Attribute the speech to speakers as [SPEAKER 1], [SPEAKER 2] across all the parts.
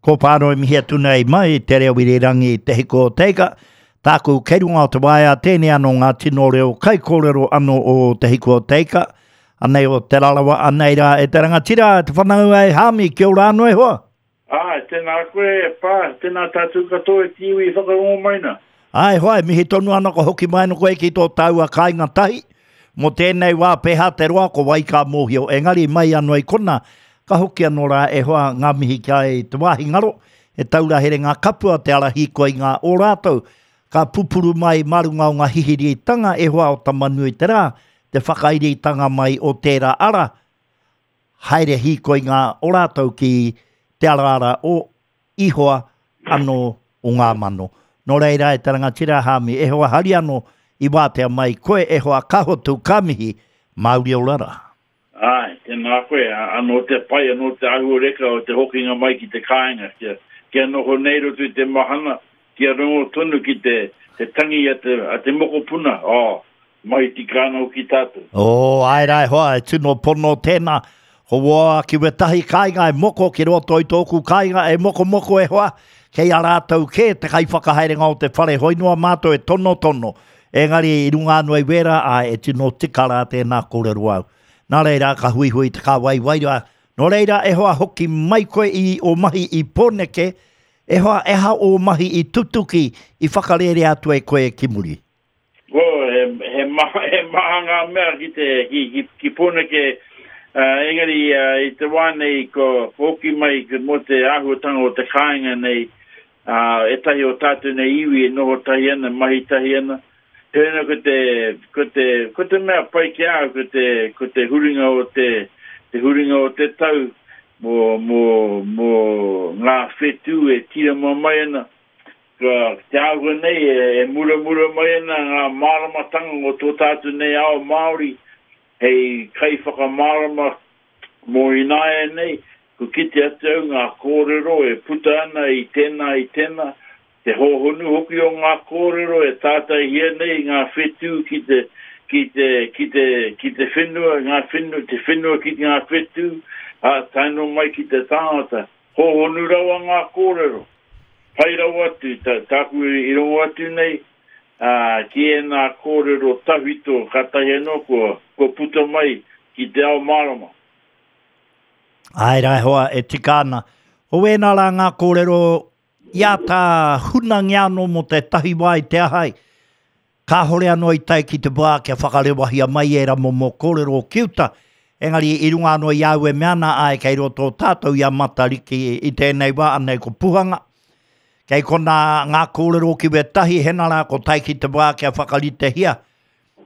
[SPEAKER 1] Ko Pānoi mihi atu nei mai te reo irirangi Te Hiku o Te Ika. Tāku kei runga o te waea tēnei anō ngā tino reo kaikōrero anō o Te Hiku o Te Ika. Anei o Te Rarawa, anei rā e te rangatira, e te whanaunga e Hāmi, kia ora anō e hoa.
[SPEAKER 2] Āe, tēnā koe e Pā, tēnā tātou katoa e te iwi i whakarongo mai nā.
[SPEAKER 1] Āe hoa, e mihi tonu ana kua hoki mai ana koe ki tō tāua kāinga tahi. Mō tēnei wā pēhā te roa ko wai ka mōhio, engari mai anō i kona, ka hoki anō rā e hoa ngā mihi ki a i te wāhi ngaro, he taura here ngā kapua te ara hīkoi ngā o rātou, ka pupuru mai mā runga o ngā hihiritanga e hoa o Tamanuiterā, te whakairitanga mai o tērā ara, haere hīkoi ngā o rātou ki te araara o Ihoa anō o ngā mano. Nō reira e te rangatira Hāmi, e hoa hari anō i wātea mai koe e hoa ka hotu ka mihi, Māori ora rā.
[SPEAKER 2] Āe, tēnā koe, anō te pai, anō te āhuareka o te hokinga mai ki te kāinga, kia, kia noho nei roto i te mahana, kia rongo tonu ki te, te tangi a te, a te mokopuna, oh, Mahi tika ana hoki tātou.
[SPEAKER 1] Oh, āe rā e hoa, e tino pono tēnā. Ko wō ki wētahi kāinga e moko ki roto i tōku kāinga e mokomoko e hoa, kei a rātou kē te kaiwhakahaerenga o te whare hoi noa mātou e tonotono. Engari i runga anō i wērā, āe, e tino tika rā tēnā kōrero au. Nā reira, ka huihui te kāwai wairua. Nō reira, e hoa, hoki mai koe i ō mahi i Pōneke, e hoa, e aha ō mahi i tutuki, i whakarērea atu e koe ki muri?
[SPEAKER 2] Well, he, he, maha, he maha ngā mea ki, te, ki, ki, ki Pōneke, uh, engari uh, i te wā nei ko, ko hoki mai mō te āhuatanga o te kāinga nei, uh, ētahi o tātou nei iwi e noho tahi ana, mahi tahi ana. Heoi anō ko te, ko te, ko te mea pai ki a au, ko te, ko te huringa o te, te huringa o te tau mō, mō, mō ngā whetū e tīrama mai ana, Ka te āhua nei e muramura mai ana ngā māramatanga o tō tātou nei ao Māori hei kaiwhakamārama mō ināianei, kua kite atu au ngā kōrero e puta ana i tēnā i tēnā, te hōhonu hoki o ngā kōrero e tātaihia nei ngā whetū ki te, ki te, ki te, ki te whenua, ngā whenua, te whenua ki ngā whetū, ā, tae noa mai ki te tangata. Hōhonu rawa ngā kōrero. Pai rawa atu, tāku i rongo atu nei, ā, ki ēnā kōrero tawhito kātahi anō kua, kua puta mai ki te ao mārama.
[SPEAKER 1] Āe rā e hoa, e tika ana. Ko wēnā rā ngā kōrero i āta hunangia anō mō tētahi wā i te aha ai. Kāhore anō i tae ki te wā kia whakarewahia mai ērā momo kōrero ki uta, engari i runga anō i a au e mea ana, āe kei roto tātou i a Matariki i tēnei wā, anei ko Puhanga. Kei konā ngā kōrero ki wētahi, hena rā ko tae ki te wā kia whakaritehia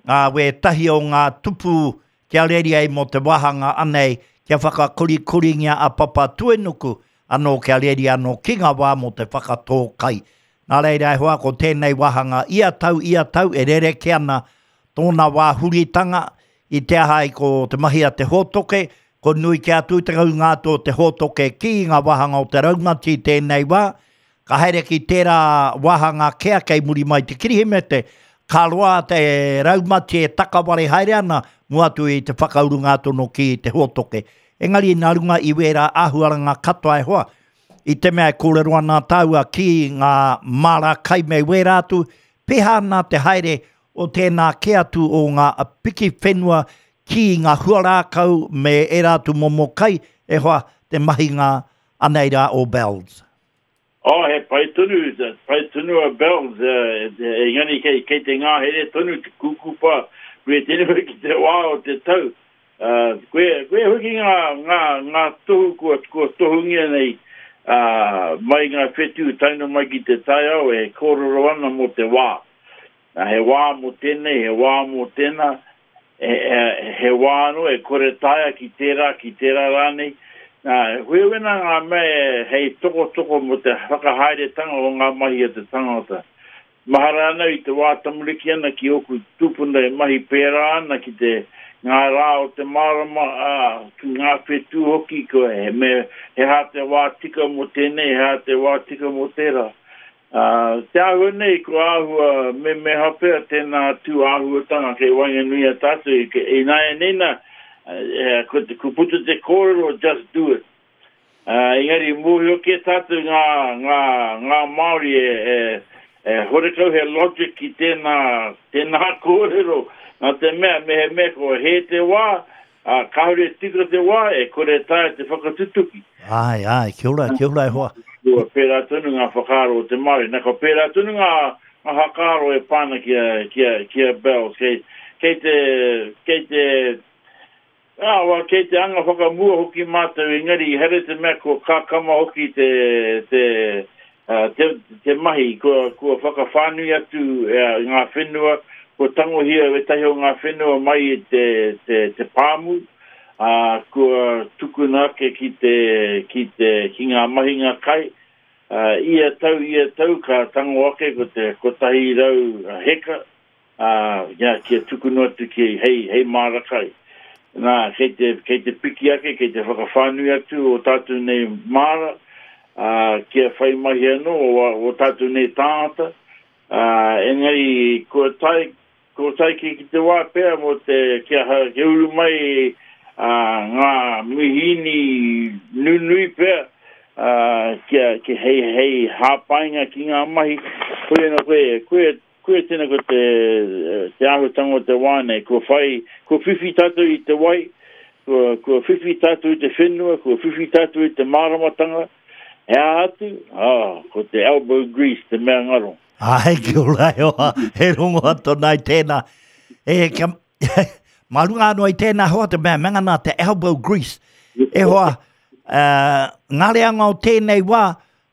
[SPEAKER 1] ngā wētahi o ngā tupu kia reri ai mō te wāhanga anei kia whakakorikoringia a Papatuenuku anō kia reri anō ki ngā wā mō te whakatō kai. Nā reira e hoa ko tēnei wāhanga ia tau ia tau e rerekē ana tōna wā huritanga i te aha ai ko te mahi a te hōtoke, ko nui kē atu te ūnga atu o te hōtoke ki ngā wāhanga o te raumati i tēnei wā, ka haere ki tērā wāhanga kea kei muri mai te Kirihimete, ka roa te raumati e takaware haere ana mua atu i te whakaurunga atu anō ki te hōtoke. Engari nā runga i wērā āhuaranga katoa e hoa, I te mea e kōrero ana tāua ki ngā māra kai me wērā atu, pēhā ana te haere o tēnā kē atu o ngā piki whenua ki ngā huarākau me ērā atu momo kai, e hoa, te mahinga anei rā o Bells.
[SPEAKER 2] Oh, he pai tonu, pai tonu a Bells, engari kei, kei te ngahere tonu te kūkupa, koe tēnei ki te wā o te tau. Ā, koe, koe hoki ngā, ngā, ngā tohu kua, kua tohungia nei, ā, mai ngā whetū tae noa mai ki te taiao e kōrero ana mō te wā. Nā, he wā mō tēnei, he wā mō tēnā, he, he, he wā anō e kore taea ki tērā, ki tērā rānei. Nā, huihuina ngā mea e, hei tokotoko mō te whakahaeretanga o ngā mahi a te tangata. Mahara ana i te wā tamariki ana ki ōku tūpuna e mahi pērā ana ki te ngā rā o te marama, ā, ki ngā whetū hoki, ko he me he aha te wā tika mō tēnei, he aha te wā tika mō tērā. Ā, te āhua nei, kua āhua memeha pea tēnā tū āhuatanga kei waenganui i a tātou, ināianei nā, ko, ko puta te kōrero, just do it. Ā, engari mōhio kē tātou ngā, ngā, ngā Māori e, e, e horekau he logic ki tēnā, tēnā kōrero, nā te mea, mehemea kua hē te wā, ā, kāore e tika te wā, e kore e taea te whakatutuki.
[SPEAKER 1] Āe, āe, kia ora, kia ora e hoa.
[SPEAKER 2] Kua pērā tonu ngā whakaaro o te Māori. Nā, kua pērā tonu ngā, ngā whakaaro e pā ana ki a, ki a, ki a Bells. Kei, kei te, kei te, Ā, wā, kei te anga whakamua hoki mātou, engari ehara i te mea kua kakama hoki te, te, te, te mahi, kua, kua whakawhānui atu ngā whenua, kua tangohia ētahi o ngā whenua mai i te, te, te pāmu, ā, kua tukuna ake ki te, ki te, ki ngā mahinga kai, ā, ia tau, ia tau ka tango ake ko te 100 heka, ā, kia, kia tukuna atu ki, hei, hei māra kai. Nā, kei te, kei te piki ake, kei te whakawhānui atu ō tātou nei māra, ā, kia whai mahi anō ō, ō tātou nei tāngata, ā, engari kua tae, kua tae ki, ki te wā pea mō te, kia, kia uru mai, ā, ngā mihīni nunui pea, ā, kia, kia hei, hei hāpainga ki ngā mahi, koia nō koe, koia, Koia tēnā ko te, te āhuatanga o te wā nei, kua whai, kua whiwhi tātou i te wai, kua, kua whiwhi tātou i te whenua, kua whiwhi tātou i te māramatanga, he aha atu? Oh, ko te elbow grease te mea ngaro.
[SPEAKER 1] Āe, kia ora e hoa, he rongoa tōna i tēnā. E, kia, mā runga anō i tēnā hoa te mea, mea ngana te elbow grease. E hoa, uh, ngā reanga o tēnei wā,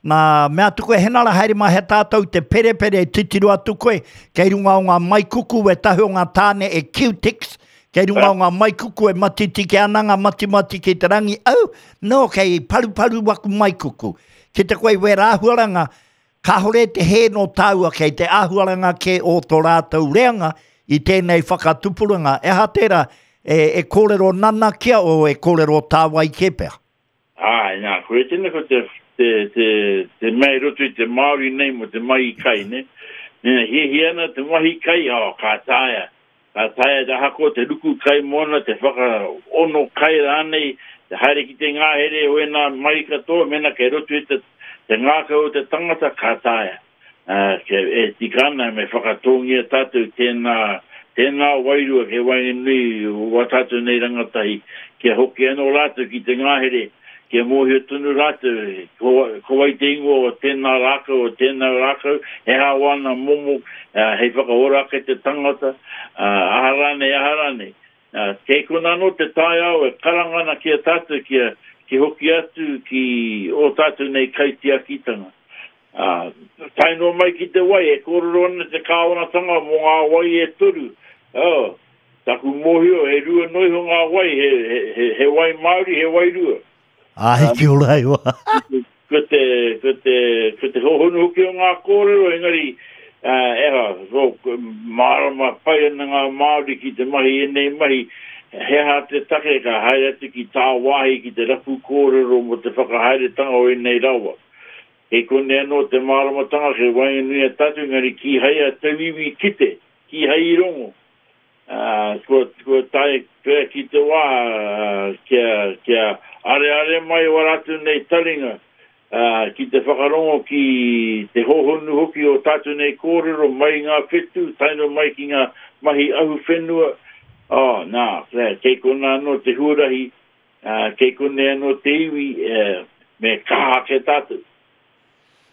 [SPEAKER 1] Nā, mea atu koe, Henara, haere mai he tātou te perepere, titiro atu koe, kei runga o ngā maikuku e tahi o ngā tāne e Q-Tex, kei runga o ngā maikuku e matitike ana ngā matimati ki te rangi, au, no, kei paruparu waku maikuku. Ki te koe i wērā āhuaranga, kāhore te hē nō tāua kei te āhuaranga kē o tō rātou reanga i tēnei whakatupuranga. E aha tērā, e, e kōrero nanakia o e kōrero tāwai kē pea?
[SPEAKER 2] Āe, nā, koia tēnei ko te, te, te, te mea i roto i te Māori nei mō te mahi kai, nē. Mēnā hiahia ana te mahi kai, oh, ka taea. Ka taea te ahakoa te ruku kai mōna, te whakaono kai rānei, te haere ki te ngahere o ēnā mahi katoa, mēnā kei roto i te, te ngākau o te tangata, ka taea. Ā, kia e tika ana me whakatōngia tātou tēnā, tēnā wairua kei waenganui o wā tātou nei rangatahi, kia hoki anō rātou ki te ngahere, kia mōhio tonu rātou ko, ko wai te ingoa o tēnā rākau, o tēnā rākau, he aha wāna momo, ā, hei whakaora ake te tangata, ā, aha rānei, aha rānei. Ā, kei konā anō te taiao e karanga ana ki a tātou kia, kia hoki atu ki ō tātou nei kaitiakitanga. Ā, tae noa mai ki te wai, e kōrero ana te kāwanatanga mō ngā wai e toru. Oh, taku mōhio, e rua noa iho ngā wai, he, he, he, he wai Māori, he wairua.
[SPEAKER 1] Āe, kia ora e hoa.
[SPEAKER 2] Ko te, ko te, ko te hōhonu hoki o ngā kōrero, engari, ā, eha, ko, mārama pai ana ngā Māori ki te mahi ēnei mahi, he aha te take ka haere atu ki tāwāhi ki te rapu kōrero mō te whakahaeretanga o ēnei rawa. Kei konei anō te māramatanga kei waenganui a tātou, engari kīhai a tauiwi i kite, kīhai i rongo. Ā, kua, kua tae pea ki te wā kia, kia areare mai wā rātou nei taringa, ā, ki te whakarongo ki te hōhonu hoki o tātou nei kōrero mai i ngā whetū, tae noa mai ki ngā mahi ahuwhenua. Ō, nā, kei konā anō te huarahi Ā, kei konei anō te iwi, me kaha ake tātou.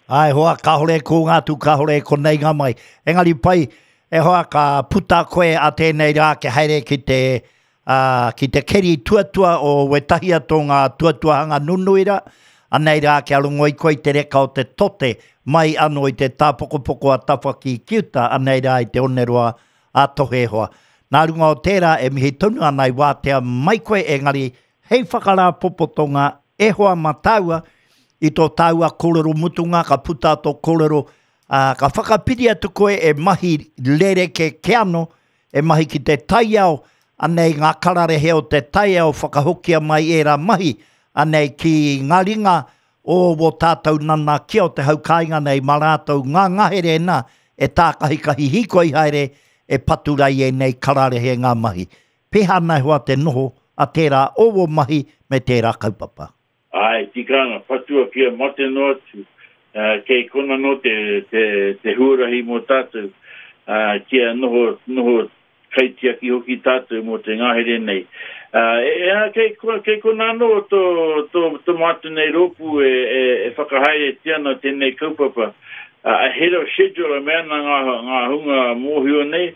[SPEAKER 1] Āe hoa, kāore e kōnga atu, kāore e konei ngā mai. Engari pai, e hoa, ka puta koe a tēnei rā kia haere ki te, ā, ki te keri tuatua o wētahi atu o ngā tuatuahanga nunui rā. Anei rā kia rongo i koe i te reka o te tote mai anō i te tāpokopoko a Tawhaki ki uta, anei rā i te oneroa a Tohe e hoa. Nā runga o tērā e mihi tonu ana i wātea mai koe engari hei whakarāpopotonga e hoa mā tāua i tō tāua kōrero mutunga ka puta tō kōrero ā, ka whakapiri atu koe e mahi rereke ke ano e mahi ki te taiao anei ngā kararehe o te taiao whakahokia mai ērā mahi anei ki ngā ringa o wō tātou nanakia o te hau kāinga nei mā rātou ngā ngahere nā e tākahikahi hīkoi haere e patu rai ēnei kararehe ngā mahi. Pēhā ana e hoa te noho a tērā o wō mahi me tērā kaupapa?
[SPEAKER 2] Āe, Āe, tika ana, patua kia mate noa atu, kei kona anō te, te, te huarahi mō tātou, ā, kia noho, noho kaitiaki hoki tātou mō te ngahere nei. Ā, e, e, kei, kei kona anō tō, tō, tō mātou nei rōpū e, e, e whakahaeretia ana tēnei kaupapa. Ā, ahead of schedule e mea ana ngā, ngā hunga mōhio nei,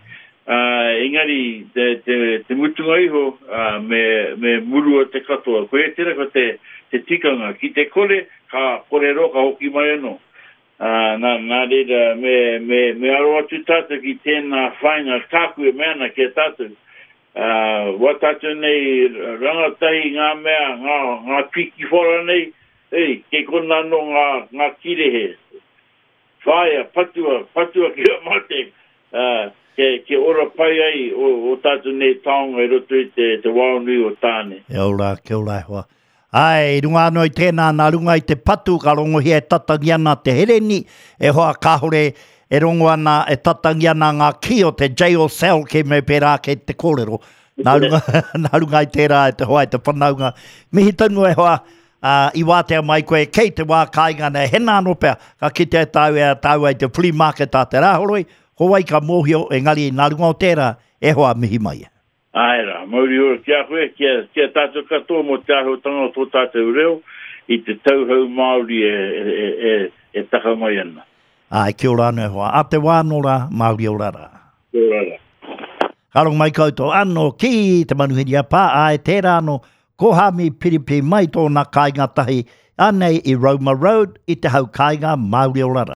[SPEAKER 2] ā, engari te, te, te mutunga iho, ā, me, me murua te katoa. Koia tērā ko te, te tikanga. Ki te kore, ka kore roa ka hoki mai anō. Ā, nā, nā reira, me, me, me aro atu tātou ki tēnā whāinga tāku e mea ana ki a tātou. Ā, wā tātou nei rangatahi ngā mea, ngā, ngā pīkiwhara nei, ei, kei konā anō ngā, ngā kīrehe. Whāia, patua, patua kia mate, ā, kia, kia ora pai ai ō, ō tātou nei taonga i roto i te, te wao nui o Tāne.
[SPEAKER 1] Kia ora, kia ora e hoa. Āe, i runga anō i tēnā, nā runga i te patu ka rongohia e tatangi ana te hereni, e hoa kāore e rongo ana, e tatangi ana ngā kī o te jail cell kei me pērā kei te kōrero. Nā runga, nā runga i tērā e te hoa e te whanaunga. Mihi tonu e hoa, ā, i wātea mai koe kei te wā kāinga nei, hena anō pea, ka kitea e tāu e a tāua i te flea market a te Rāhoroi, ko wai ka mōhio, engari nā runga o tērā, e hoa mihi mai.
[SPEAKER 2] Āe rā, mauri ora ki a koe, ki a, ki a tātou katoa mō te āhuatanga o tō tātou reo i te tauhou Māori e, e, e, e taka mai ana.
[SPEAKER 1] Āe, kia ora anō e hoa. A te wā anō rā, Māori ora rā.
[SPEAKER 2] Kia ora rā.
[SPEAKER 1] Ka rongo mai koutou anō ki te manuhiri a Pā, āe, tērā anō, ko Hāmi Piripi mai tōna kāinga tahi, anei i Roma Road, i te hau kāinga, Māori ora rā.